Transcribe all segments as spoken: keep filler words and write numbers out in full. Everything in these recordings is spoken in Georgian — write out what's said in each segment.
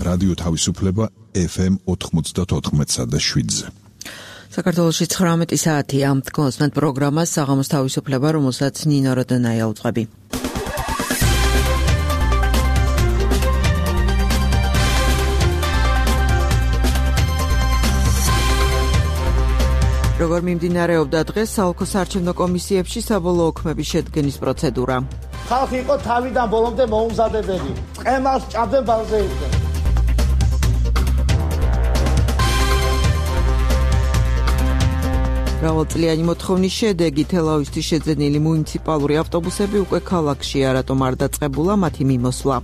რადიო თავისუფლება ეფ ემ ოთხმოცდაოთხ და შვიდზე. საქართველოში ცხრამეტი საათია ამ კონსტანტ პროგრამას საღამოს თავისუფლება, რომელსაც ნინო როდონაია უწყები. როგორ მიმდინარეობდა დღეს საოლქო საარჩევნო კომისიებში საბოლოო ოქმების შედგენის პროცედურა. ხალხი იყო თავიდან ბოლომდე მოუმზადებელი. ყემალს ჭამდნენ ბალზე იყვნენ. მრავალწლიანი მოთხოვნის შედეგი თელავისთვის შეძენილი მუნიციპალური ავტობუსები უკვე ქალაქშია, რატომ არ დაწყებულა მათი მიმოსვლა.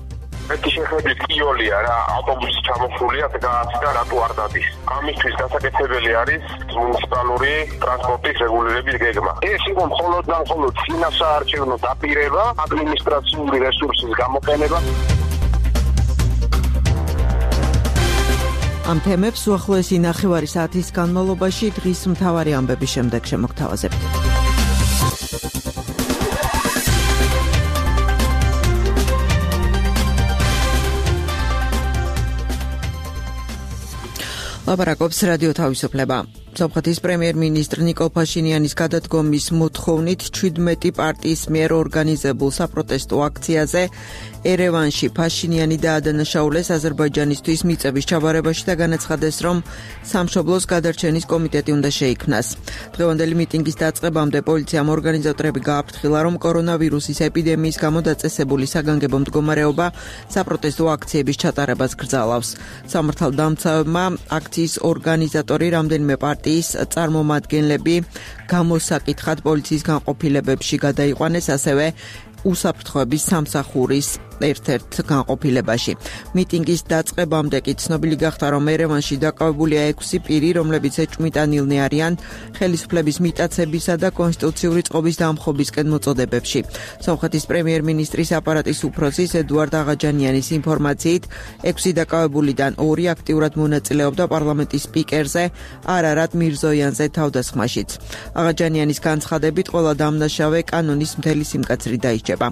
ერთი შეხედვით კიოლია რა, ავტობუსი ჩამოსულია და გააცდა რატო არ დადის. ამისთვის გასაკეთებელი არის მუნიციპალური ტრანსპორტის რეგულირების გეგმა. ეს იყო მხოლოდ და მხოლოდ წინასაარჩევნო დაპირება, ადმინისტრაციული რესურსის გამოყენება. ამ თემებს უახლოესი ნახევარი საათის განმავლობაში დღის მთავარი ამბების შემდეგ შემოგთავაზებთ. ლაპარაკობს რადიო თავისუფლება. სომხეთის პრემიერ-მინისტრ ნიკოლ ფაშინიანის გადადგომის მოთხოვნით ჩვიდმეტი პარტიის მიერ ორგანიზებულ საპროტესტო აქციაზე ერევანში ფაშინიანი დაადანაშაულეს აზერბაიჯანისთვის მიწების ჩაბარებაში და განაცხადეს, რომ სამშობლოს გადარჩენის კომიტეტი უნდა შეიქმნას. დღევანდელი მიტინგის დაწყებამდე პოლიციამ ორგანიზატორები გააფრთხილა, რომ კორონავირუსის ეპიდემიის გამო დაწესებული საგანგებო მდგომარეობა საპროტესტო აქციების ჩატარებას გრძალავს. სამართალდამცავებმა აქციის ორგანიზატორი რამდენიმე პარტიის წარმომადგენლები გამოსაკითხად პოლიციის განყოფილებებში გადაიყვანეს, ასევე უსაფრთხოების სამსახურის ერთ-ერთ განყოფილებაში. მიტინგის დაწყებამდე კი ცნობილი გახდა, რომ ერევანში დაკავებულია ექვსი პირი, რომლებიც ეჭვმიტანილნი არიან ხელისუფლების მიტაცებისა და კონსტიტუციური წყობის დამხობისკენ მოწოდებებში. სომხეთის პრემიერ-მინისტრის აპარატის უფროსის ედუარდ აღაჯანიანის ინფორმაციით, ექვსი დაკავებულიდან ორი აქტიურად მონაწილეობდა პარლამენტის სპიკერზე არარატ მირზოიანზე თავდასხმაშიც. აღაჯანიანის განცხადებით, ყველა დამნაშავე კანონის მთელი სიმკაცრით დაიჭება.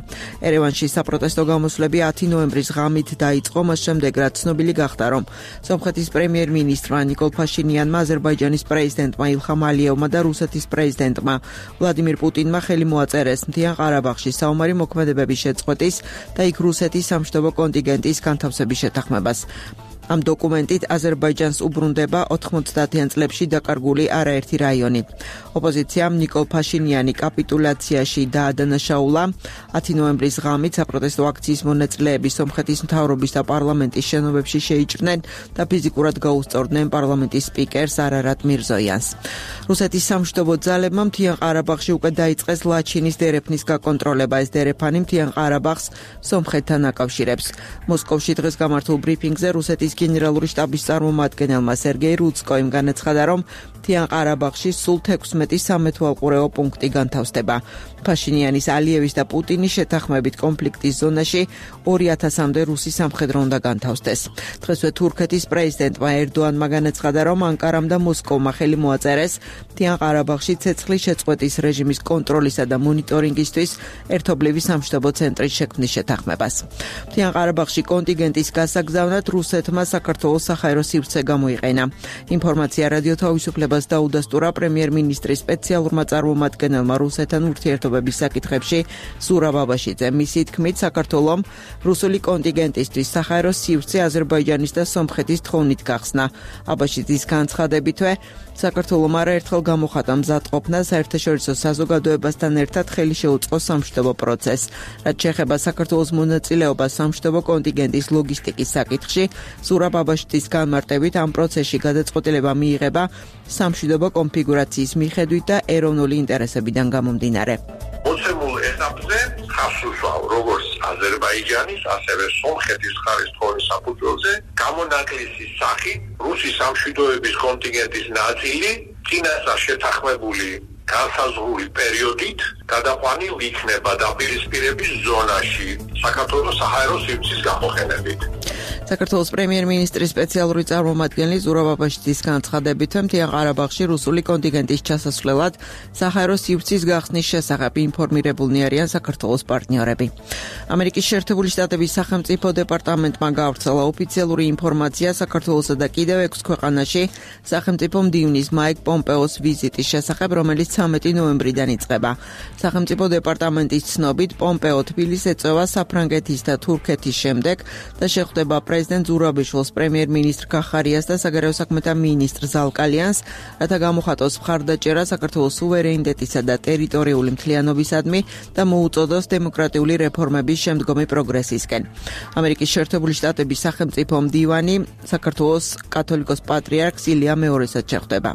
ერევანში საპროტესტო გამოსვლები ათი ნოემბრის ღამით დაიწყო, მას შემდეგ რაც ცნობილი გახდა, რომ სომხეთის პრემიერ-მინისტრმა ნიკოლ ფაშინიანმა, აზერბაიჯანის პრეზიდენტმა ილხამ ალიევმა და რუსეთის პრეზიდენტმა ვლადიმირ პუტინმა ხელი მოაწერეს მთიან ყარაბაღში საომარი მოქმედებების შეწყვეტის და იქ რუსეთის სამშვიდობო კონტინგენტის განთავსების შეთანხმებას. ამ დოკუმენტით აზერბაიჯანს უბრუნდება ოთხმოცდაათიან წლებში დაკარგული არაერთი რაიონი. ოპოზიციამ ნიკოლ ფაშინიანი კაპიტულაციაში დაადანაშაულა. ათი ნოემბრის ღამით საპროტესტო აქციის მონაწილეები სომხეთის მთავრობის და პარლამენტის შენობებში შეიჭრნენ და ფიზიკურად გაუსწორდნენ პარლამენტის სპიკერს არარატ მირზოიანს. რუსეთის სამშვიდობო ძალებმა მთიან ყარაბაღში უკვე დაიწყეს ლაჩინის დერეფნის გაკონტროლება. ეს დერეფანი მთიან ყარაბაღს სომხეთთან აკავშირებს. მოსკოვში დღეს გამართულ ბრიფინგზე რუსეთის გენერალური შტაბის წარმომადგენელმა სერგეი რუცკოიმ განაცხადა, რომ მთიან ყარაბაღში სულ თექვსმეტი სამეთვალყურეო პუნქტი განთავსდება. ფაშინიანის, ალიევის და პუტინის შეთანხმებით კონფლიქტის ზონაში ორი ათასამდე რუსი სამხედრო უნდა განთავსდეს. დღესვე თურქეთის პრეზიდენტმა ერდოანმა განაცხადა, რომ ანკარამ და მოსკოვმა ხელი მოაწერეს მთიან ყარაბაღში ცეცხლის შეწყვეტის რეჟიმის კონტროლისა და მონიტორინგისთვის ერთობლივი სამშვიდობო ცენტრის შექმნის შეთანხმებას. მთიან ყარაბაღში კონტინგენტის გასაგზავნად რუსეთმა საქართველოს საჰაერო სივრცე გამოიყენა. ინფორმაცია რადიო თავისუფლებას დაუდასტურა პრემიერ-მინისტრის სპეციალურმა წარმომადგენელმა რუსეთთან ურთიერთობების საკითხებში ზურაბ აბაშიძე. მისი თქმით, საქართველომ რუსული კონტინგენტისთვის საჰაერო სივრცე აზერბაიჯანის და სომხეთის თხოვნით გახსნა. აბაშიძის განცხადებითვე, საქართველომ არაერთხელ გამოხატა მზადყოფნა საერთაშორისო საზოგადოებასთან ერთად ხელი შეუწყო სამშვიდობო პროცესს. რაც შეეხება საქართველოს მონაწილეობას სამშვიდობო კონტინგენტის ლოგისტიკის საკითხში, ზურაბ აბაშიძის განმარტებით ამ პროცესში გადაწყვეტილება მიიღება სამშვიდობო კონფიგურაციის მიხედვით და ეროვნული ინტერესებიდან გამომდინარე. მოცემულ ეტაპზე ხას უსვავ როგორც აზერბაიჯანის, ასევე სომხეთის ხარის თხოვნის საფუძველზე გამონაკლისის სახით რუსი სამშვიდობოების კონტინგენტის ნაწილი წინასწარ შეთანხმებული განსაზღვრული პერიოდით გადაყვანილ იქნება დაპირისპირების ზონაში საქართველოს საჰაერო სივრცის გამოყენებით. საქართველოს პრემიერ-მინისტრის სპეციალური წარმომადგენელი ზურაბ აბაშიძის განცხადებით, მთიან ყარაბაღში რუსული კონტინგენტის ჩასასვლელად საჰაერო სივრცის გახსნის შესახებ ინფორმირებულნი არიან საქართველოს პარტნიორები. ამერიკის შეერთებული შტატების სახელმწიფო დეპარტამენტმა გავრცელა ოფიციალური ინფორმაცია საქართველოსა და კიდევ ექვს ქვეყანაში სახელმწიფო მდივნის მაიკ პომპეოს ვიზიტის შესახებ, რომელიც ცამეტი ნოემბრიდან იწყება. სახელმწიფო დეპარტამენტის ცნობით, პომპეო თბილისს ეწევა საფრანგეთის და თურქეთის შემდეგ და შეხვდება პრეზიდენტ ზურაბიშვილს, პრემიერ-მინისტრ გახარიას და საგარეო საქმეთა მინისტრ ზალკალიანს, რათა გამოხატოს მხარდაჭერა საქართველოს სუვერენიტეტისა და ტერიტორიული მთლიანობისადმი და მოუწოდოს დემოკრატიული რეფორმების შემდგომი პროგრესისკენ. ამერიკის შეერთებული შტატების სახელმწიფო მდივანი საქართველოს კათოლიკოს პატრიარქს ილია მეორესად შეხვდება.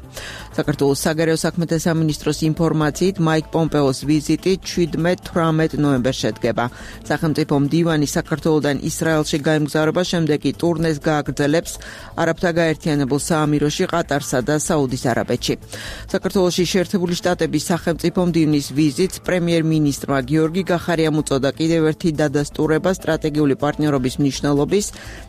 საქართველოს საგარეო საქმეთა სამინისტროს ინფორმაციით, მაიკ პომპეოს ვიზიტი შვიდმეტ თვრამეტ ნოემბერს შედგება. სახელმწიფო მდივანი საქართველოდან ისრაელში გაემგზავრება, შემდეგ კი ტურნეს გააგრძელებს არაბთა გაერთიანებულ საამიროში, ყატარსა და საუდის არაბეთში. საქართველოში შეერთებული შტატების სახელმწიფო მდივნის ვიზიტს პრემიერ-მინისტრმა გიორგი გახარიამ უწოდა კიდევ ერთი დადასტურება სტრატეგიული პარტნიორობის მნიშვნელობის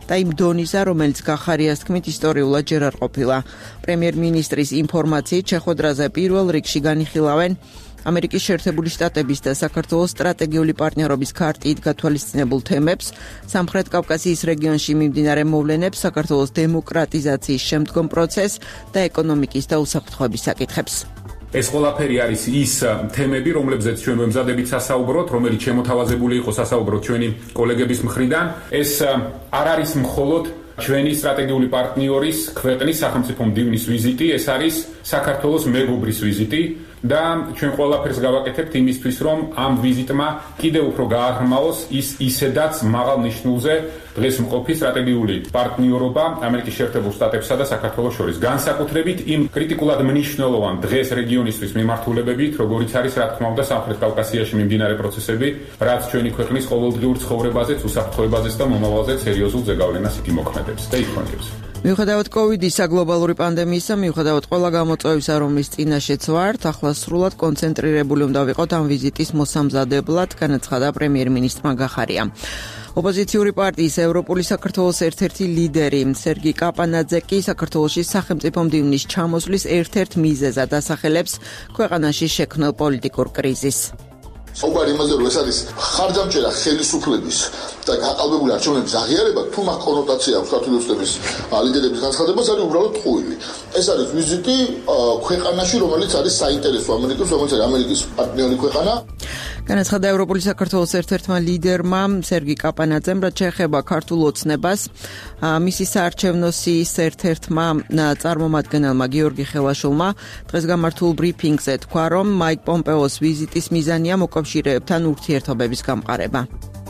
და იმ დონისა, რომელიც გახარიას თქმით ისტორიულად ჯერ არ ყოფილა. პრემიერ-მინისტრის ინფორმაციით, შეხვედრაზე პირველ რიგში განიხილავენ ამერიკის შეერთებული შტატების და საქართველოს სტრატეგიული პარტნიორობის ქარტით გათვალისწინებულ თემებს, სამხრეთ კავკასიის რეგიონში მიმდინარე მოვლენებს, საქართველოს დემოკრატიზაციის შემდგომ პროცესს და ეკონომიკის და უსაფრთხოების საკითხებს. ეს ყველაფერი არის ის თემები, რომლებზეც ჩვენ ვემზადებით სასაუბროთ, რომელიც შემოთავაზებული იყო სასაუბროთ ჩვენი კოლეგების მხრიდან. ეს არ არის მხოლოდ ჩვენი სტრატეგიული პარტნიორის ქვეყნის სახელმწიფო მდივნის ვიზიტი, ეს არის საქართველოს მეგობრის ვიზიტი და ჩვენ ყველაფერს გავაკეთებთ იმისთვის, რომ ამ ვიზიტმა კიდევ უფრო გააღრმაოს ის ისედაც მაღალ ნიშნულზე დღეს მყოფი სტრატეგიული პარტნიორობა ამერიკის შეერთებულ შტატებსა და საქართველოს შორის. განსაკუთრებით იმ კრიტიკულად მნიშვნელოვან დღეს რეგიონისთვის მიმართულებებით, როგორიც არის, რა თქმა უნდა, სამხრეთ კავკასიაში მიმდინარე პროცესები, რაც ჩვენი ქვეყნის ყოველდღიურ ცხოვრებაზეც, უსაფრთხოებაზეც და მომავალზეც სერიოზულ ზეგავლენას imoქმედებს და იქონებს. მიუხედავად კოვიდის გლობალური პანდემიისა, მიუხედავად ყველა გამოწვევისა, რომლის წინაშეც ვართ, ახლა სრულად კონცენტრირებული უნდა ვიყოთ ამ ვიზიტის მოსამზადებლად, განაცხადა პრემიერ-მინისტრმა გახარიამ. ოპოზიციური პარტიის ევროპული საქართველოს ერთ-ერთი ლიდერი სერგი კაპანაძე კი საქართველოში სახელმწიფო მდივნის ჩამოსვლის ერთ-ერთ მიზეზად ასახელებს ქვეყანაში შექმნილ პოლიტიკურ კრიზისს. საუბარი იმაზე, რომ ეს არის ხარჯამჭერა ხელისუფლების და გაყალბებული არჩევნების აღიარება, თუ მაგ კონოტაცია აქვს ქართული ოცნების ლიდერების განცხადებას, არის უბრალოდ ტყუილი. ეს არის ვიზიტი ქვეყანაში, რომელიც არის საინტერესო ამერიკის, რომელიც არის ამერიკის პარტნიორი ქვეყანა. განაცხადა ევროპული საქართველოს ერთ-ერთმა ლიდერმა სერგი კაპანაძემ, რაც შეეხება ქართულ ოცნებას, მისი საარჩევნო სიის ერთ-ერთმა წარმომადგენელმა გიორგი ხელაშვილმა დღეს გამართულ ბრიფინგზე თქვა, რომ მაიკ პომპეოს ვიზიტის მიზანია მოკავშირეებთან ურთიერთობების გამყარება.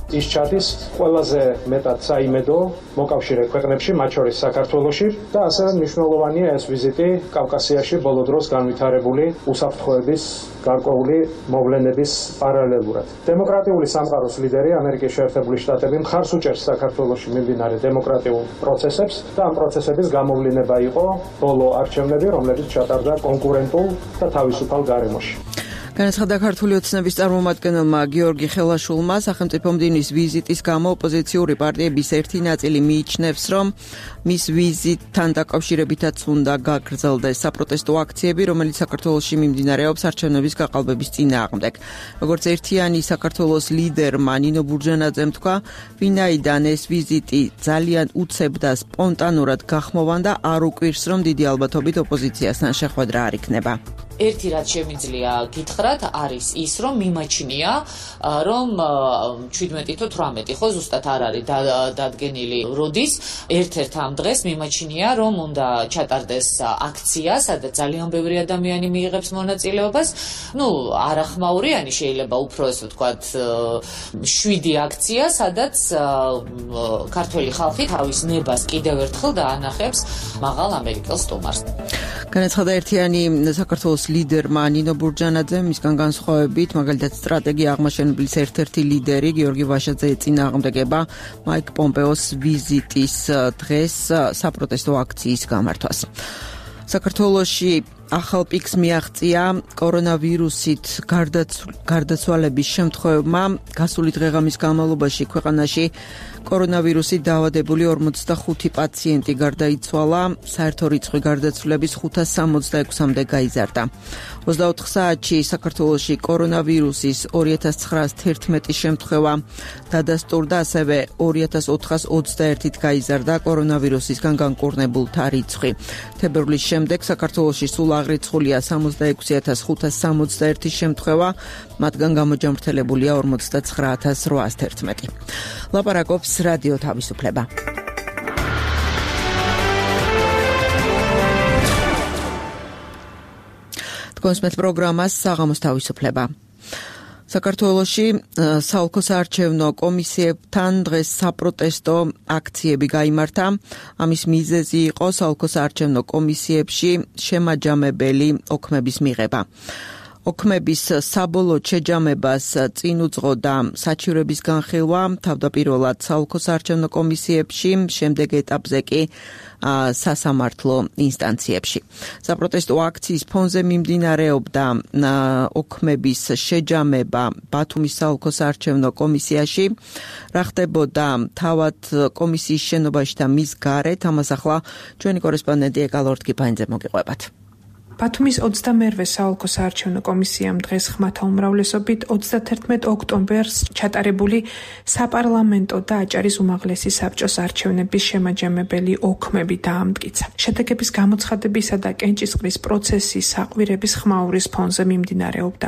ის ჩადის ყველაზე მეტად საიმედო მოკავშირე ქვეყნებში, მათ შორის საქართველოში და ასევე მნიშვნელოვანია ეს ვიზიტი კავკასიაში ბოლო დროს განვითარებული უსაფრთხოების გარკვეული მოვლენების პარალელურად. დემოკრატიული სამყაროს ლიდერი ამერიკის შეერთებული შტატები მხარს უჭერს საქართველოში მიმდინარე დემოკრატიულ პროცესებს და ამ პროცესების გამოვლინება იყო ბოლო არჩევნები, რომლებიც ჩატარდა კონკურენტულ და თავისუფალ გარემოში. განაცხადა ქართული ოცნების წარმომადგენელმა გიორგი ხელაშვილმა, სახელმწიფო მდივნის ვიზიტის გამო ოპოზიციური პარტიების ერთი ნაწილი მიიჩნევს, რომ მის ვიზიტთან დაკავშირებითაც უნდა გაგრძელდეს საპროტესტო აქციები, რომელიც საქართველოში მიმდინარეობს არჩევნების გაყალბების წინააღმდეგ. როგორც ერთიანი საქართველოს ლიდერმა ნინო ბურჯანაძემ თქვა, ვინაიდან ეს ვიზიტი ძალიან უცებ და სპონტანურად გახმოვანდა, არ უკვირს, რომ დიდი ალბათობით ოპოზიციასთან შეხვედრა არ იქნება. ერთი რაც შემიძლია გითხრათ არის ის, რომ მიმაჩნია, რომ შვიდმეტი თუ თვრამეტი ხო ზუსტად არ არის დადგენილი როდის, ერთ-ერთ ამ დღეს მიმაჩნია, რომ უნდა ჩატარდეს აქცია, სადაც ძალიან ბევრი ადამიანი მიიღებს მონაწილეობას. ნუ არახმაურიანი შეიძლება უფრო ესე ვთქვათ, შვიდი აქცია, სადაც ქართველი ხალხი თავის ნებას კიდევ ერთხელ დაანახებს მაღალ ამერიკელ სტუმარს. განაცხადა ერთიანი საქართველოს ლიდერმა ნინო ბურჯანაძემ, მისგან განსხვავებით, მაგალითად სტრატეგია აღმაშენებლის ერთ-ერთი ლიდერი გიორგი ვაშაძე ეწინააღმდეგება მაიკ პომპეოს ვიზიტის დღეს საპროტესტო აქციის გამართვას. საქართველოში ახალ პიკს მიაღწია კორონავირუსით გარდაცვალების შემთხვევებმა. გასული დღეღამის განმავლობაში ქვეყანაში კორონავირუსით დაავადებული ორმოცდახუთი პაციენტი გარდაიცვალა, საერთო რიცხვი გარდაცვლების ხუთას სამოცდაექვსამდე გაიზარდა. ოცდაოთხ საათში საქართველოში კორონავირუსის ორი ათას ცხრაას თერთმეტი შემთხვევა დადასტურდა, ასევე ორი ათას ოთხას ოცდაერთით გაიზარდა კორონავირუსისგან განკურნებულთა რიცხვი. თებერვლის შემდეგ საქართველოში სულ აღრიცხულია სამოცდაექვსი ათას ხუთას სამოცდაერთი შემთხვევა, მათგან გამოჯამრთელებულია ორმოცდაცხრა ათას რვაას თერთმეტი. ლაპარაკობს რადიო თავისუფლება. კონსმეთ პროგრამას საღამოს თავისუფლება. საქართველოში საოლქო საარჩევნო კომისიებთან დღეს საპროტესტო აქციები გაიმართა. ამის მიზეზი იყო საოლქო საარჩევნო კომისიებში შემაჯამებელი ოქმების მიღება. ოქმების საბოლოო შეჯამებას წინ უძღოდა საჩივრების განხილვა თავდაპირველად საოლქო საარჩევნო კომისიებში, შემდეგ ეტაპზე კი სასამართლო ინსტანციებში. საპროტესტო აქციის ფონზე მიმდინარეობდა ოქმების შეჯამება ბათუმის საოლქო საარჩევნო კომისიაში. რა ხდებოდა თავად კომისიის შენობაში და მის გარეთ, ამას ახლა ჩვენი კორესპონდენტი ეკალორდ კიფაინძე მოგიყვებათ. ბათუმის ოცდამერვე საოლქო საარჩევნო კომისიამ დღეს ხმათა უმრავლესობით ოცდათერთმეტ ოქტომბერს ჩატარებული საპარლამენტო და აჭარის უმაღლესი საბჭოს არჩევნების შემაჯამებელი ოქმები დაამტკიცა. შედეგების გამოცხადებისა და კენჭისყრის პროცესი საყვირების ხმაურის ფონზე მიმდინარეობდა.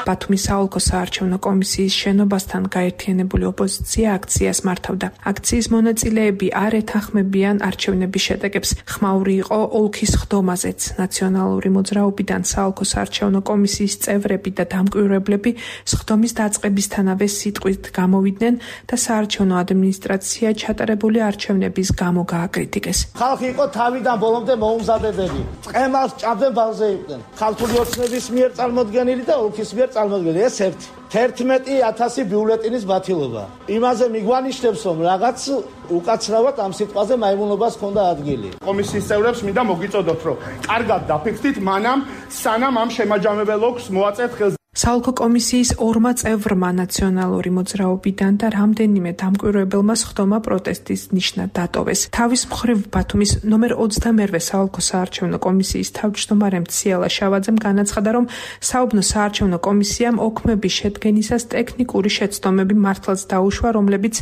ბათუმის საოლქო საარჩევნო კომისიის შენობასთან გაერთიანებული ოპოზიცია აქციას მართავდა. აქციის მონაწილეები არ ეთანხმებიან არჩევნების შედეგებს. ხმაური იყო ოლქის ხდომაზეც. ნაციონალური მოძრაობიდან საოლქო საარჩევნო კომისიის წევრები და დამკვირვებლები სხდომის დაწყებისთანავე სიტყვით გამოვიდნენ და საარჩევნო ადმინისტრაცია ჩატარებული არჩევნების გამო გააკრიტიკეს. ხალხი იყო თავიდან ბოლომდე მოუმზადებელი. წემალს ჭამდნენ ბალზე იყვნენ. ხალხური ოცნების მიერ წარმოდგენილი და ოლქის მიერ წარმოდგენილი ეს ერთი. თერთმეტი ათასი ბიულეტინის ბათილობა. იმაზე მიგვანიშნებს, რომ რაღაც უკაცრავად ამ სიტყვაზე მაიმუნობას ჰქონდა ადგილი. კომისიის წევრებს მინდა მოგიწოდოთ, რომ კარგად დაფიქრდით, მანამ სანამ ამ შემაჯამებელ ოქს მოაწევთ ხელს. საოლქო კომისიის ორმა წევრმა ნაციონალური მოძრაობიდან და რამდენიმე დამკვირვებელმა სხდომა პროტესტის ნიშნად დატოვეს. თავის მხრივ ბათუმის ნომერ ოცდამერვე საოლქო საარჩევნო კომისიის თავმჯდომარემ ციალა შავაძემ განაცხადა, რომ საუბნო საარჩევნო კომისიამ ოქმების შედგენისას ტექნიკური შეცდომები მართლაც დაუშვა, რომლებიც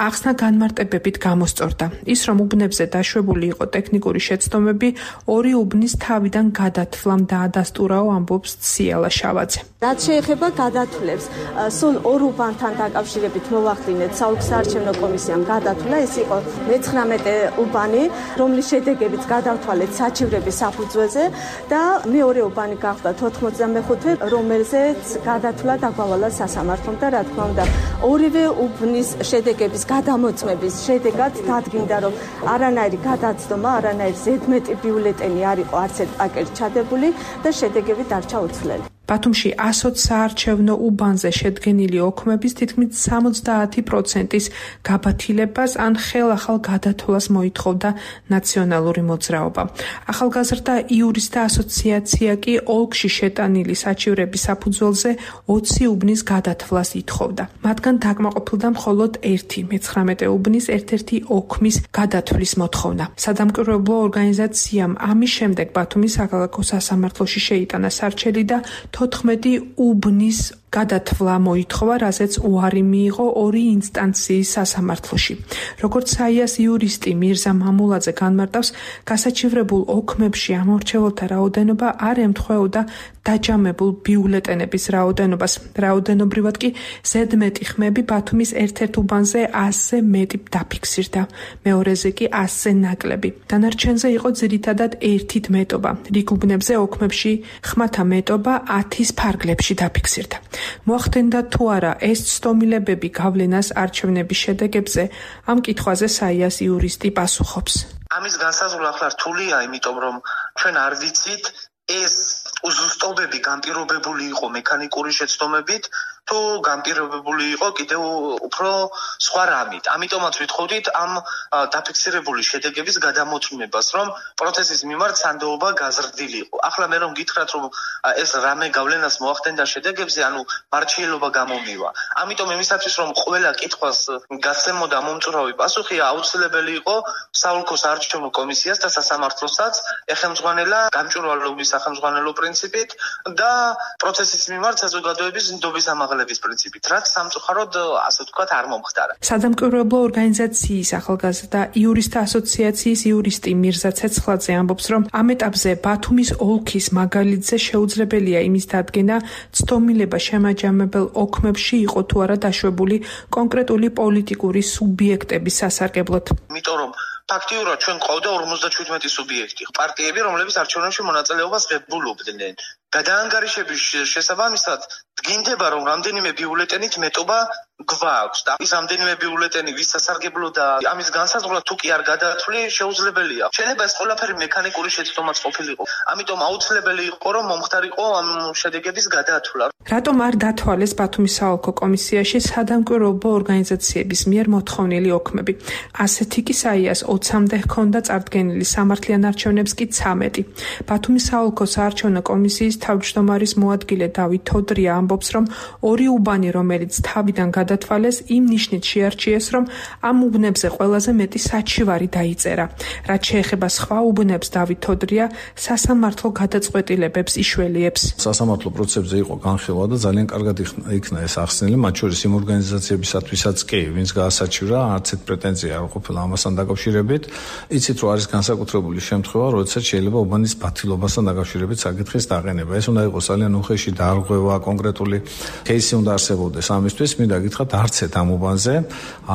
ახსნა განმარტებებით გამოსწორდა. ის, რომ უბნებზე დაშვებული იყო ტექნიკური შეცდომები, ორი უბნის თავიდან გადათვლამ დაადასტურაო, ამბობს ციალა შავაძე. რაც შეეხება გადათვლებს, სულ ორ უბანთან დაკავშირებით მოვახდინეთ საოლქო საარჩევნო კომისიამ გადათვლა, ეს იყო მეცხრამეტე უბანი, რომლის შედეგებიც გადავთვალეთ საჩივრების საფუძველზე და მეორე უბანი გახდა ოთხმოცდამეხუთე, რომელზეც გადათვლა დაგვავალა სასამართლომ და რა თქმა უნდა, ორივე უბნის შედეგების გადამოწმების შედეგად დადგინდა, რომ არანაირი გადაცდომა, არანაირი ზედმეტი ბიულეტენი არ იყო არც ერთ პაკეტში ჩადებული და შედეგები დარჩა უცვლელი. ბათუმში ასოც საარჩევნო უბანზე შედგენილი ოქმების თითქმის სამოცდაათი პროცენტის გაბათილებას ან ხელახალ გადათვლას მოითხოვდა ნაციონალური მოძრაობა. ახალგაზრდა იურისტთა ასოციაცია კი ოლქში შეტანილი საჩივრების საფუძველზე ოცი უბნის გადათვლას ითხოვდა. მათგან დაკმაყოფილდა მხოლოდ ერთი მეცხრამეტე უბნის ერთ-ერთი ოქმის გადათვლის მოთხოვნა. სადამკვირვებლო ორგანიზაციამ ამის შემდეგ ბათუმის საქალაქო სასამართლოში შეიტანა სარჩელი და თოთხმეტი უბნის გადათვლა მოითხოვა, რაზეც უარი მიიღო ორი ინსტანციის სასამართლოში. როგორც საიას იურისტი მირზა მამულაძე განმარტავს, გასაჩივრებულ ოქმებში ამორჩეულთა რაოდენობა არ ემთხვეოდა დაჯამებულ ბიულეტენების რაოდენობას. რაოდენობრივად კი ზედმეტი ხმები ბათუმის ერთ-ერთ უბანზე ასზე მეტი დაფიქსირდა, მეორეზე კი ასზე ნაკლები. დანარჩენზე იყო ძირითადად ერთით მეტობა. რიგ უბნებზე ოქმებში ხმათა მეტობა ათის ფარგლებში დაფიქსირდა. მოახდენდა თუ არა ეს ცდომილებები გავლენას არჩევნების შედეგებზე, ამ კითხვაზე საიას იურისტი პასუხობს. ამის განსაზღვრა ახლა რთულია, იმიტომ რომ ჩვენ არ ვიცით ეს უზუსტობები განპირობებული იყო მექანიკური შეცდომებით, თუ განპირობებული იყო კიდევ უფრო სხვა რამით. ამიტომაც ვითხოვდით ამ დაფიქსირებული შედეგების გადამოწმებას, რომ პროცესის მიმართ სანდოობა გაზრდილიყო. ახლა მე რომ გითხრათ, რომ ეს რამე გავლენას მოახდენდა შედეგებზე, ანუ მარჩიელობა გამომივა. ამიტომ იმისათვის, რომ ყველა კითხვას გასცემოდა მომწურავი პასუხი, აუცილებელი იყო საოლქო საარჩევნო კომისიას და სასამართლოსაც ეხელმძღვანელა გამჭვირვალობის სახელმძღვანელო პრინციპით და პროცესის მიმართ საზოგადოების ნდობის ამაღლების პრინციპით, რაც სამწუხაროდ ასე ვთქვათ არ მომხდარა. სადამკვირვებლო ორგანიზაციის ახალგაზრდა იურისტთა ასოციაციის იურისტი მირზა ცეცხლაძე ამბობს, რომ ამ ეტაპზე ბათუმის ოლქის მაგალითზე შეუძლებელია იმის დადგენა, ცდომილება შემაჯამებელ ოქმებში იყო თუ არა დაშვებული კონკრეტული პოლიტიკური სუბიექტების სასარგებლოდ. იმიტომ რომ ფაქტიურად ჩვენ ყავდა ორმოცდაჩვიდმეტი სუბიექტი, პარტიები, რომლებიც არჩევნებში მონაწილეობას ღებულობდნენ. გადაანგარიშების შესაბამისად დგინდება, რომ რამდენიმე ბიულეტენით მეტობა გვაქვს და ის რამდენიმე ბიულეტენი ვის სასარგებლო და ამის განსაზღვრა თუ კი არ გადაათვლი შეუძლებელია. შეიძლება ეს ყველაფერი მექანიკური შეცდომაც ყოფილიყო. ამიტომ აუცილებელი იყო, რომ მომხდარიყო ამ შედეგების გადაათვლა. რატომ არ დათვალეს ბათუმის საოლქო კომისიაში სადამკვირვებლო ორგანიზაციების მიერ მოთხოვნილი ოქმები? ასეთი კი საიას ოცამდე ჰქონდა წარდგენილი, სამართლიან არჩევნებს კი ცამეტი. ბათუმის საოლქო საარჩევნო კომისიის თავმჯდომარის მოადგილე დავით თოდრია ამბობს, რომ ორი უბანი, რომელიც თავიდან გადათვალეს, იმ ნიშნით შეარჩიეს, რომ ამ უბნებზე ყველაზე მეტი საჩივარი დაიწერა. რაც შეეხება სხვა უბნებს, დავით თოდრია სასამართლო გადაწყვეტილებებს იშველიებს. სასამართლო პროცესებზე იყო განხილვა და ძალიან კარგად იქნა ეს ახსნილი, მათ შორის იმ ორგანიზაციებისათვისაც კი, ვინც გაასაჩივრა, არც ერთ პრეტენზია არ ყოფილა ამასთან დაკავშირებით. იცით, რომ არის განსაკუთრებული შემთხვევა, როდესაც შეიძლება უბანის ბათილობასთან დაკავშირებით საკითხის დაყენება. ეს უნდა იყოს ძალიან უხეში დარღვევა, კონკრეტული кейსი უნდა არსებობდეს ამისთვის. მინდა გითხრათ, არც ერთ ამ უბანზე,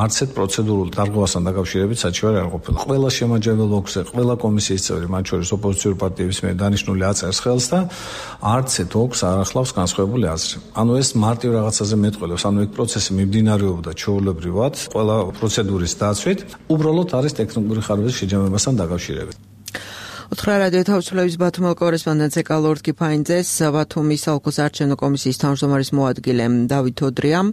არც ერთ პროცედურულ დარღვევასთან დაკავშირებით საჩივარი არ ყოფილა. ყველა შემაჯამებელ ოქზე, ყველა კომისიის წევრი, მათ შორის ოპოზიციური პარტიების მიერ დანიშნული აწერს ხელს და არც ერთ ოქს არ ახლავს განსხვავებული აზრი. ანუ ეს მარტივ რაღაცაზე მეტყველებს, ანუ ეგ პროცესი მიმდინარეობდა ჩვეულებრივად, ყველა პროცედურის დაცვით, უბრალოდ არის ტექნიკური ხარების შეჯამებასთან დაკავშირებით. უთხრა რადიო თავისუფლების ბათუმელ კორესპონდენტს ეკალორდ კიფაინძეს, ბათუმის საოლქო საარჩევნო კომისიის თავმჯდომარის მოადგილე დავით თოდრიამ.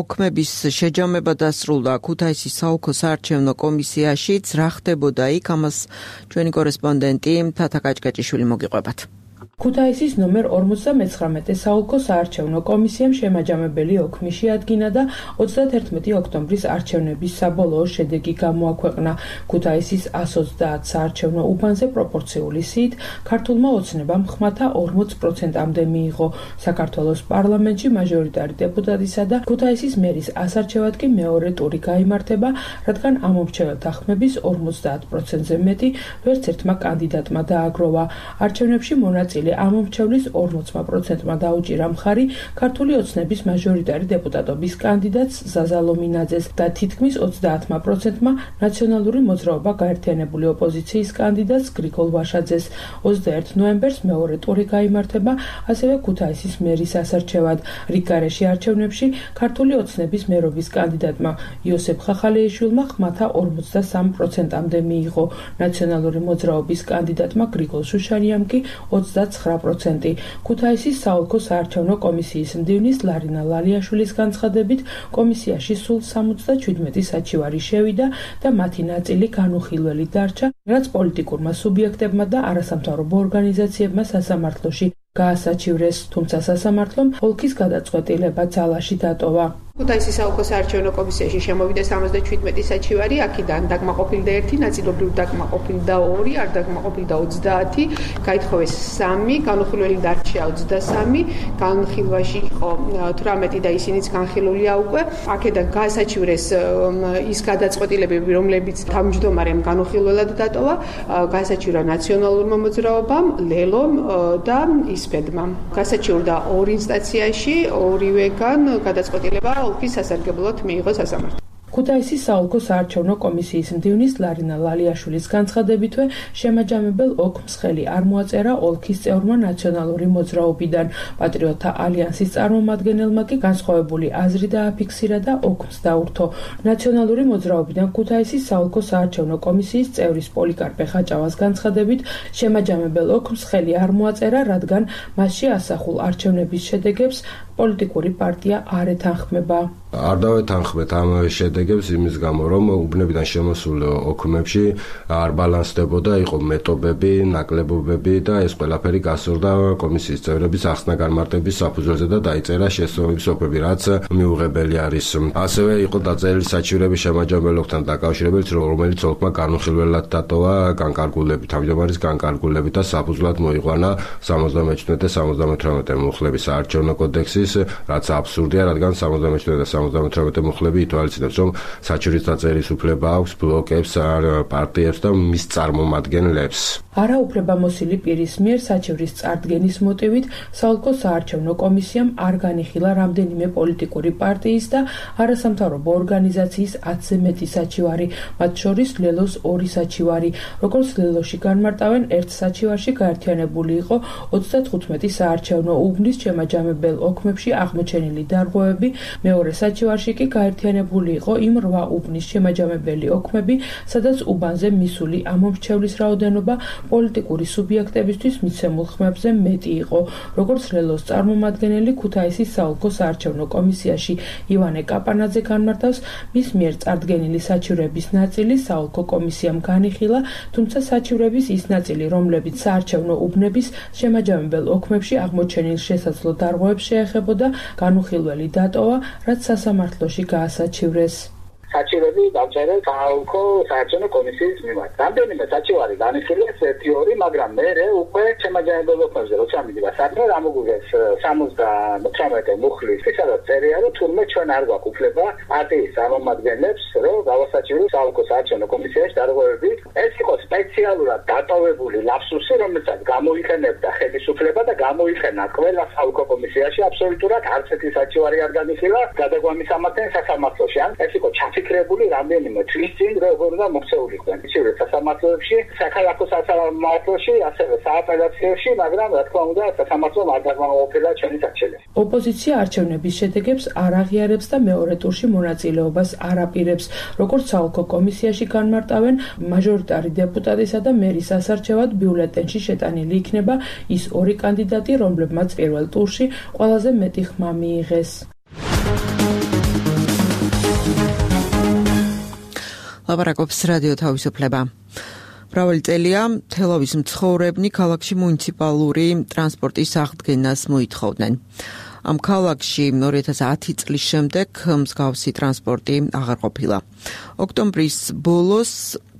ოქმების შეჯამება დასრულდა ქუთაისის საოლქო საარჩევნო კომისიაშიც. რა ხდებოდა იქ, ამას ჩვენი კორესპონდენტი თათა კაჭკაჭიშვილი მოგიყვებათ. ქუთაისის ნომერ ორმოცდამეცხრამეტე საოლქო საარჩევნო კომისიამ შემაჯამებელი ოქმი შეადგინა და ოცდაათერთმეტი ოქტომბრის არჩევნების საბოლოო შედეგი გამოაქვეყნა. ქუთაისის ას ოცდაათ საარჩევნო უბანზე პროპორციული სიით ქართულმა ოცნებამ ხმათა ორმოც პროცენტამდე მიიღო. საქართველოს პარლამენტში მაჟორიტარი დეპუტატისა და ქუთაისის მერის ასარჩევად კი მეორე ტური გაიმართება, რადგან ამომრჩეველთა ხმების ორმოცდაათ პროცენტზე მეტი ვერც ერთმა კანდიდატმა დააგროვა. არჩევნებში მონაწილე ამომრჩევლის ორმოც პროცენტმა დაუჭირა მხარი ქართული ოცნების მაჟორიტარი დეპუტატობის კანდიდატს ზაზა ლომინაძეს და თითქმის ოცდაათ პროცენტმა ნაციონალური მოძრაობა გაერთიანებული ოპოზიციის კანდიდატს გრიგოლ ვაშაძეს. ოცდაერთი ნოემბერს მეორე ტური გაიმართება ასევე ქუთაისის მერის ასარჩევად. რიგგარეშე არჩევნებში ქართული ოცნების მერობის კანდიდატმა იოსებ ხახალეიშვილმა ხმათა ორმოცდასამი პროცენტამდე მიიღო. ნაციონალური მოძრაობის კანდიდატმა გრიგოლ შუშარიამ კი ოცდაცხრა პროცენტი. ქუთაისის საოლქო საარჩევნო კომისიის მდივნის ლარინა ლალიაშვილის განცხადებით, კომისიაში სულ სამოცდაჩვიდმეტი საჩივარი შევიდა და მათი ნაწილი განუხილველი დარჩა, რაც პოლიტიკურმა სუბიექტებმა და არასამთავრობო ორგანიზაციებმა სასამართლოში გაასაჩივრეს, თუმცა სასამართლომ ოლქის გადაწყვეტილება ძალაში დატოვა. ქუთაისის საოლქო საარჩევნო კომისიაში შემოვიდა სამოცდაჩვიდმეტი საჩივარი, აქედან დაკმაყოფილდა ერთი, ნაწილობრივ დაკმაყოფილდა ორი, არ დაკმაყოფილდა ოცდაათი, გაითხოვეს სამი, განუხილველი დარჩა ოცდასამი, განხილვაში იყო თვრამეტი და ისინიც განხილულია უკვე. აქედან გაასაჩივრეს ის გადაწყვეტილებები, რომლებიც თავმჯდომარემ განუხილველად დატოვა, გაასაჩივრა ნაციონალურმა მოძრაობამ, ლელომ და ისპედმა. გაასაჩივრდა ორ ინსტანციაში, ორივეგან გადაწყვეტილება ოლქის სასარგებლოდ მიიღო სასამართლო. ქუთაისის საოლქო საარჩევნო კომისიის მდივნის ლარინა ლალიაშვილის განცხადებითვე შემაჯამებელ ოქმს ხელი არ მოაწერა ოლქის წევრმა ნაციონალური მოძრაობიდან. პატრიოტთა ალიანსის წარმომადგენელმა კი განსხვავებული აზრი დააფიქსირა და ოქმს დაურთო. ნაციონალური მოძრაობიდან ქუთაისის საოლქო საარჩევნო კომისიის წევრის პოლიკარპე ხაჭავას განცხადებით, შემაჯამებელ ოქმს ხელი არ მოაწერა, რადგან მასში ასახულ არჩევნების შედეგებს პოლიტიკური პარტია არ ეთანხმება. არ დავეთანხმეთ ამ შედეგებს იმის გამო, რომ უბნებიდან შემოსულ ოქმებში არ ბალანსდებოდა, იყო მეტობები, ნაკლებობები და ეს ყველაფერი გასურდა კომისიის წევრების ახსნა-განმარტების საფუძველზე და დაიწერა შესაბამისი ოფები, რაც მიუღებელი არის. ასევე იყო დაწერილი საჩივრების შემაჯამებლობთან დაკავშირებით, რომელიც ოლქმა განუხილველად დატოვა განკარგულებით, თავმჯდომარის განკარგულებით და საფუძვლად მოიყვანა სამოცდამეჩვიდმეტე და სამოცდამეთვრამეტე მუხლების საარჩევნო კოდექსის, რაც აბსურდია, რადგან სამოცდამეჩვიდმეტე და სამოცდამეთვრამეტე მუხლები ითვალისწინებს, რომ საჩივრის დაწერის უფლება აქვს ბლოკებს, პარტიებს და მის წარმომადგენლებს. არაუფლებამოსილი პირის მიერ საჩივრის წარდგენის მოტივით საოლქო საარჩევნო კომისიამ არ განიხილა რამდენიმე პოლიტიკური პარტიის და არასამთავრობო ორგანიზაციის ათზე მეტი საჩივარი, მათ შორის ლელოს ორი საჩივარი. როგორც ლელოში განმარტავენ, ერთ საჩივარში გაერთიანებული იყო ოცდათხუთმეტი საარჩევნო უბნის შემაჯამებელ ოქმებში აღმოჩენილი დარღვევები, მეორე საჩივარში კი გაერთიანებული იყო იმ რვა უბნის შემაჯამებელი ოქმები, სადაც უბანზე მისული ამომრჩევლის რაოდენობა პოლიტიკური სუბიექტებისთვის მიცემულ ხმებზე მეტი იყო. როგორც ლელოს წარმომადგენელი ქუთაისის საოლქო საარჩევნო კომისიაში ივანე კაპანაძე განმარტავს, მის მიერ წარდგენილი საჩივრების ნაწილი საოლქო კომისიამ განიხილა, თუმცა საჩივრების ის ნაწილი, რომლებიც საარჩევნო უბნების შემაჯამებელ ოქმებში აღმოჩენილ შესაძლო დარღვევებს შეეხებოდა, განუხილველი დატოვა, რაც სასამართლოში გაასაჩივრეს. საჩივრები დავწერე საოლქო საარჩევნო კომისიის მიმართ. რამდენიმე საჩივარი განიხილეს ერთი ორი, მაგრამ მე უკვე შემაჯამებელ ოქმებზე როცა მიდივა საქმე, ამოგუგეს სამოცდამეთვრამეტე მუხლის, სადაც წერია, რომ თურმე ჩვენ არ გვაქვს უფლება პარტიის წარმომადგენლებს, რომ გავასაჩივროთ საოლქო საარჩევნო კომისიაში დარღვევები. ეს იყო სპეციალურად დატოვებული ლაფსუსი, რომელსაც გამოიყენებდა ხელისუფლება და გამოიყენა ყველა საოლქო კომისიაში აბსოლუტურად არც ერთი საჩივარი არ განიხილა გადაგვამის ამათენ სასამართლოში. ან ეს იყო ჩაფიქრებული რამდენიმე თვის წინ, როგორ უნდა მოქცეულიყვნენ საჩივრები სასამართლოებში, საქალაქო სასამართლოში, ასევე სააპელაციებში, მაგრამ რა თქმა უნდა სასამართლომ არ დაგმაყოფილა ჩვენი საჩივრები. ოპოზიცია არჩევნების შედეგებს არ აღიარებს და მეორე ტურში მონაწილეობას არ აპირებს. როგორც საოლქო კომისიაში განმარტავენ, მაჟორიტარი დეპუტატისა და მერის ასარჩევად ბიულეტენში შეტანილი იქნება ის ორი კანდიდატი, რომლებმაც პირველ ტურში ყველაზე მეტი ხმა მიიღეს. ლაპარაკობს რადიო თავისუფლება. მრავალი წელია თელავის მცხოვრებნი ქალაქში მუნიციპალური ტრანსპორტის აღდგენას მოითხოვდნენ. ამ ქალაქში ორი ათას ათი წლის შემდეგ მსგავსი ტრანსპორტი აღარ ყოფილა. ოქტომბრის ბოლოს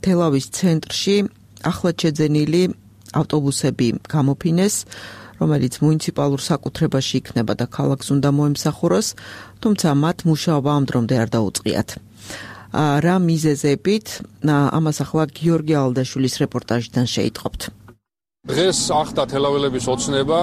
თელავის ცენტრში ახლად შეძენილი ავტობუსები გამოფინეს, რომელიც მუნიციპალურ საკუთრებაში იქნება და ქალაქს უნდა მოემსახუროს, თუმცა მათ მუშაობა ამ დრომდე არ დაუწყიათ. რა მიზეზებით, ამას ახლა გიორგი ალდაშვილის რეპორტაჟიდან შეიტყობთ. დღეს ახდა თელაველების ოცნება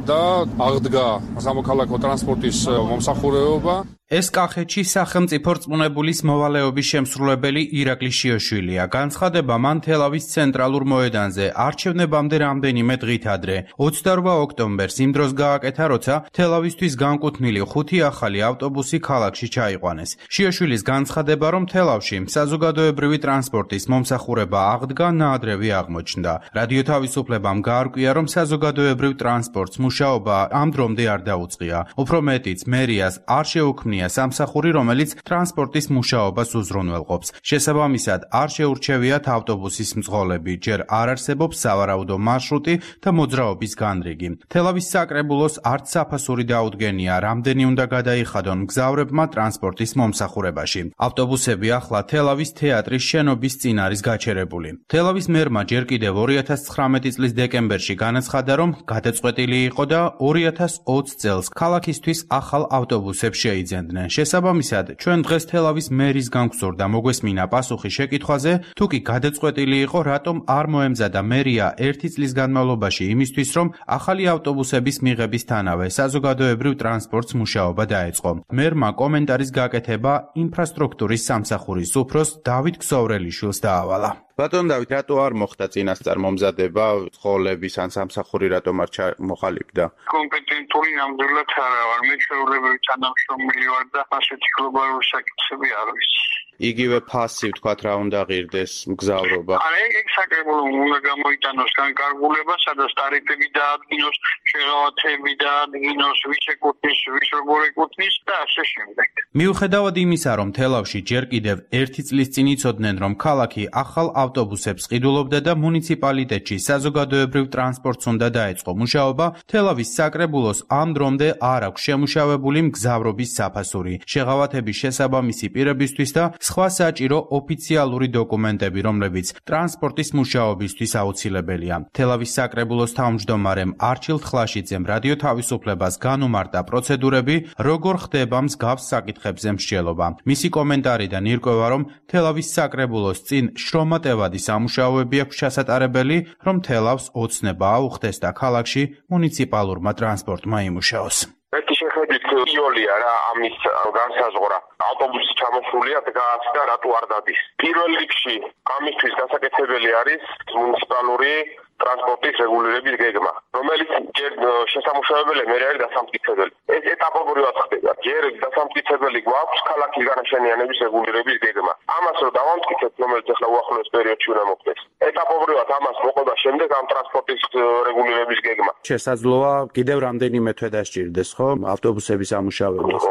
და აღდგა სამოქალაქო ტრანსპორტის მომსახურება. ეს კახეთში სახელმწიფო რწმუნებულის მოვალეობის შემსრულებელი ირაკლი შიოშვილია. განცხადება მან თელავის ცენტრალურ მოედანზე არჩევნებამდე რამდენიმე დღით ადრე, ოცდარვა ოქტომბერს იმ დროს გააკეთა, როცა თელავისთვის განკუთვნილი ხუთი ახალი ავტობუსი ქალაქში ჩაიყვანეს. შიოშვილის განცხადება, რომ თელავში საზოგადოებრივი ტრანსპორტის მომსახურება აღდგა, ნაადრევი აღმოჩნდა. რადიო თავისუფლებამ გაარკვია, რომ საზოგადოებრივ ტრანსპორტს მუშაობა ამ დრომდე არ დაუწყია. უფრო მეტიც, მერიას არ შეუქმნია სამსახური, რომელიც ტრანსპორტის მუშაობას უზრუნველყოფს. შესაბამისად, არ შეურჩევიათ ავტობუსის მძღოლები, ჯერ არ არსებობს სავარაუდო მარშრუტი და მოძრაობის განრიგი. თელავის საკრებულოს არც საფასური დაუდგენია, რამდენი უნდა გადაიხადონ მგზავრებმა ტრანსპორტის მომსახურებაში. ავტობუსები ახლა თელავის თეატრის შენობის წინ არის გაჩერებული. თელავის მერმა ჯერ კიდევ ორი ათას ცხრამეტი წლის დეკემბერში განაცხადა, რომ გადაწყვეტილი იყო და ორი ათას ოცი წელს ქალაქისთვის ახალ ავტობუსებს შეიძენდა. შესაბამისად, ჩვენ დღეს თელავის მერის განგვსურდა მოგვესმინა პასუხი შეკითხვაზე, თუ კი გადაწყვეტილი იყო, რატომ არ მოემზადა მერია ერთი წლის განმავლობაში იმისთვის, რომ ახალი ავტობუსების მიღებისთანავე საზოგადოებრივ ტრანსპორტს მუშაობა დაეწყო. მერმა კომენტარის გაკეთება ინფრასტრუქტურის სამსახურის უფროს დავით ქსოვრელიშვილს დაავალა. ბატონ დავით, რატო არ მოხდა წინასწარ მომზადება სკოლების ან სამსახური რატომ არ მოყალიბდა? კომპეტენტური ნამდვილად არა ვარ, მე ჩვეულებრივი თანამშრომელი ვარ და ასეთი გლობალური საკითხები არ ვიცი. იგივე ფასი ვთქვათ რა უნდა ღირდეს მგზავრობა. აი ეგ საკრებულო უნდა გამოიტანოს განკარგულება, სადაც ტარიფები დაადგინოს, შეღავათები დაადგინოს, ვის ეკუთვნის, ვის როგორ ეკუთვნის და ასე შემდეგ. მიუხედავად იმისა, რომ თელავში ჯერ კიდევ ერთი წლის წინ იცოდნენ, რომ ქალაქი ახალ ავტობუსებს ყიდულობდა და მუნიციპალიტეტში საზოგადოებრივ ტრანსპორტს უნდა დაეწყო მუშაობა, თელავის საკრებულოს ამ დრომდე არ აქვს შემუშავებული მგზავრობის საფასური, შეღავათების შესაბამისი პირებისთვის და სხვა საჭირო ოფიციალური დოკუმენტები, რომლებიც ტრანსპორტის მუშაობისთვის აუცილებელია. თელავის საკრებულოს თავმჯდომარემ არჩილ თხლაშიძემ რადიო თავისუფლებას განუმარტა პროცედურები, როგორ ხდება მსგავს საკითხებზე მსჯელობა. მისი კომენტარიდან ირკვევა, რომ თელავის საკრებულოს წინ შრომატევადი სამუშაოები აქვს ჩასატარებელი, რომ თელავს ოცნება აუხდეს და ქალაქში მუნიციპალურმა ტრანსპორტმა იმუშაოს. ერთი შეხედვით იოლია რა ამის განსაზღვრა. ავტობუსი ჩამოსულია დგას და რატო არ დადის. პირველ რიგში ამისთვის გასაკეთებელი არის მუნიციპალური ტრანსპორტის რეგულირების გეგმა, რომელიც ჯერ შესამუშავებელი მე არის დასამტკიცებელი. ეს ეტაპობრივად ხდება. ჯერ დასამტკიცებელი გვაქვს ქალაქის განაშენიანების რეგულირების გეგმა. ამას რო დავამტკიცებთ, რომელიც ახლა უახლოეს პერიოდში უნდა მოხდეს. ეტაპობრივად ამას მოყვა შემდეგ ამ ტრანსპორტის რეგულირების გეგმა. შესაძლოა კიდევ რამდენიმე თვე დასჭირდეს, ხო? ავტობუსების ამუშავებას.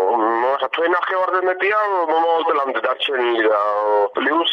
თვე ნახევარზე მეტია მომავალ წლამდე დარჩენილი და პლუს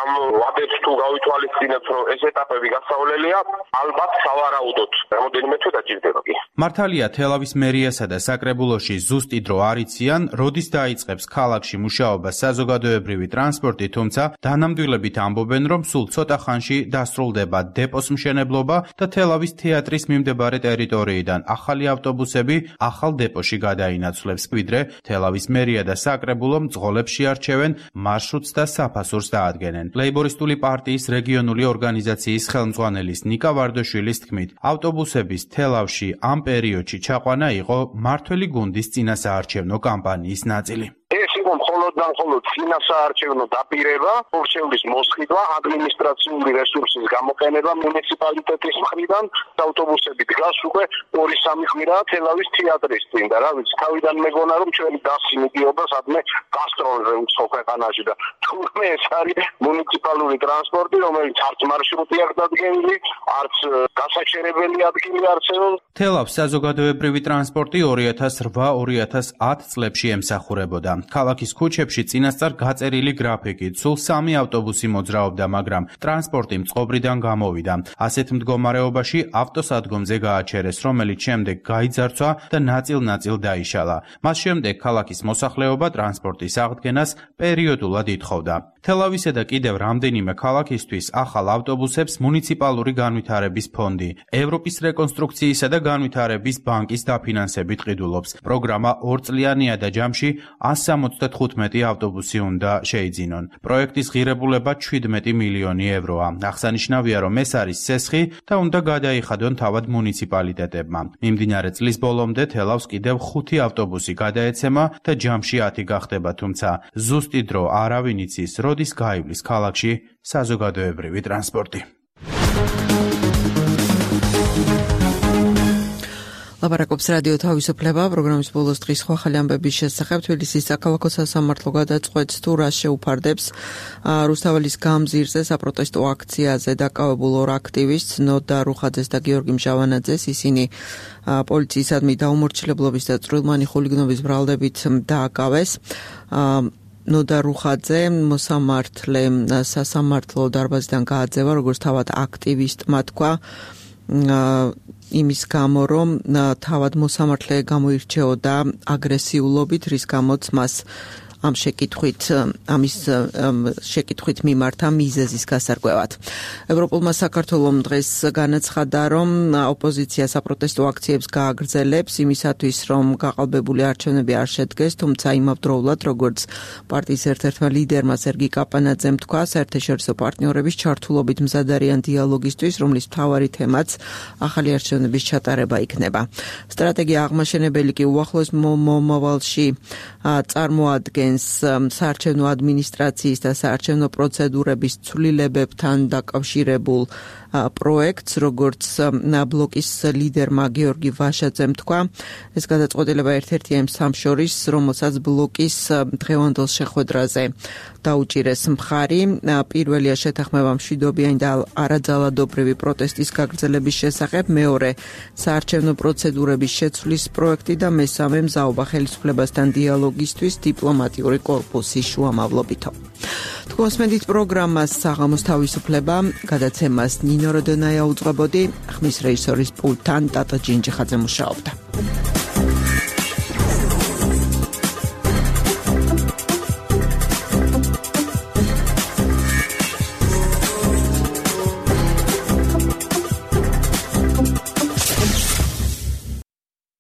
ამ ვადებს თუ გავითვალისწინებთ, რომ ეს ეტაპები გასავლელია, ალბათ სავარაუდოდ რამოდენიმე თვე დაჭირდება კი. მართალია თელავის მერიასა და საკრებულოში ზუსტი დრო არ იციან, როდის დაიწყებს ქალაქში მუშაობა საზოგადოებრივი ტრანსპორტი, თუმცა დანამდვილებით ამბობენ, რომ სულ ცოტა ხანში დასრულდება დეპოს მშენებლობა და თელავის თეატრის მიმდებარე ტერიტორიიდან ახალი ავტობუსები ახალ დეპოში გადაინაცვლებს, ვიდრე თელავის მერია და საკრებულო მძღოლებს შეარჩევენ მარშრუტს და საფასურს დაადგენენ. ლეიბორისტული პარტიის რეგიონული ორგანიზაციის ხელმძღვანელის ნიკა ვარდაშვილის თქმით, ავტობუსების თელავში ამ პერიოდში ჩაყვანა იყო მართველი გუნდის წინასაარჩევნო კამპანიის ნაწილი. ეს იყო მხოლოდ და მხოლოდ წინასაარჩევნო დაპირება, ორჩევლის მოსყიდვა, ადმინისტრაციული რესურსის გამოყენება მუნიციპალიტეტის მხრიდან, ავტობუსები დგას უკვე ორი სამი კვირაა თელავის თეატრის წინ და რა ვიცი, თავიდან მეგონა რომ ჩვენი დასი მიდიოდა სადმე გასტროლზე უცხო ქვეყანაში და თურმე ეს არის მუნიციპალური ტრანსპორტი, რომელიც არც მარშრუტი არ დადგენილი, არც გასაჩერებელი ადგილი არსებობს. თელავს საზოგადოებრივი ტრანსპორტი ორი ათას რვა ორი ათას ათ წლებში ემსახურებოდა. ქალაქის ქუჩებში წინასწარ გაწერილი გრაფიკით სულ სამი ავტობუსი მოძრაობდა, მაგრამ ტრანსპორტი მწყობრიდან გამოვიდა. ასეთ მდგომარეობაში ავტოსადგომზე გააჩერეს, რომელიც შემდეგ გაიძარცვა და ნაწილ-ნაწილ დაიშალა. მას შემდეგ ქალაქის მოსახლეობა ტრანსპორტის აღდგენას პერიოდულად ითხოვდა. თელავისა და კიდევ რამდენიმე ქალაქისთვის ახალ ავტობუსებს მუნიციპალური განვითარების ფონდი, ევროპის რეკონსტრუქციისა და განვითარების ბანკის დაფინანსებით ყიდულობს. პროგრამა ორწლიანია და ჯამში ასი სამოცდათხუთმეტი ავტობუსი უნდა შეიძინონ. პროექტის ღირებულება შვიდმეტი მილიონი ევროა. აღსანიშნავია, რომ ეს არის სესხი და უნდა გადაიხადონ თავად მუნიციპალიტეტებმა. მიმდინარე წლის ბოლომდე თელავს კიდევ ხუთი ავტობუსი გადაეცემა და ჯამში ათი გახდება, თუმცა ზუსტი დრო არავინ იცის, როდის გაივლის ქალაქში საზოგადოებრივი ტრანსპორტი. ლაპარაკობს რადიო თავისუფლება, პროგრამის ბოლოს დღის სხვა ახალი ამბების შესახებ. თბილისის საქალაქო სასამართლო გადაწყვეტს თუ რა შეუფარდებს რუსთაველის გამზირზე საპროტესტო აქციაზე დაკავებულ ორ აქტივისტს, ნოდა რუხაძეს და გიორგი მჟავანაძეს. ისინი პოლიციისადმი დაუმორჩილებლობის და წვრილმანი ხულიგნობის ბრალდებით დააკავეს. ნოდა რუხაძე მოსამართლე სასამართლო დარბაზიდან გააძევა, როგორც თავად აქტივისტმა თქვა, იმის გამო, რომ თავად მოსამართლე გამოირჩეოდა აგრესიულობით, რის გამოც მას ამ შეკითხვით ამის შეკითხვით მიმართა მიზეზის გასარკვევად. ევროპულმა საქართველომ დღეს განაცხადა, რომ ოპოზიცია საპროტესტო აქციებს გააგრძელებს იმისათვის, რომ გაყალბებული არჩევნები არ შედგეს, თუმცა იმავდროულად, როგორც პარტიის ერთ-ერთმა ლიდერმა სერგი კაპანაძემ თქვა, საერთაშორისო პარტნიორების ჩართულობით მზად არიან დიალოგისთვის, რომლის მთავარი თემაც ახალი არჩევნების ჩატარება იქნება. სტრატეგია აღმაშენებელი კი უახლოეს მომავალში წარმოადგენს ადგენს საარჩევნო ადმინისტრაციის და საარჩევნო პროცედურების ცვლილებებთან დაკავშირებულ პროექტს, როგორც ბლოკის ლიდერმა გიორგი ვაშაძემ თქვა. ეს გადაწყვეტილება ერთ-ერთია იმ სამ შორის, რომელსაც ბლოკის დღევანდელ შეხვედრაზე დაუჭირეს მხარი. პირველია შეთანხმება მშვიდობიანი და არაძალადობრივი პროტესტის გაგრძელების შესახებ, მეორე საარჩევნო პროცედურების შეცვლის პროექტი და მესამე მზაობა ხელისუფლებასთან დიალოგისთვის დიპლომატიური კორპუსის შუამავლობითო. თქვენსმენდით პროგრამას საღამოს თავისუფლება, გადაცემას ნინო როდონაია უძღვებოდი, ხმის რეჟისორის პულტთან ტატა ჯინჯიხაძე მუშაობდა.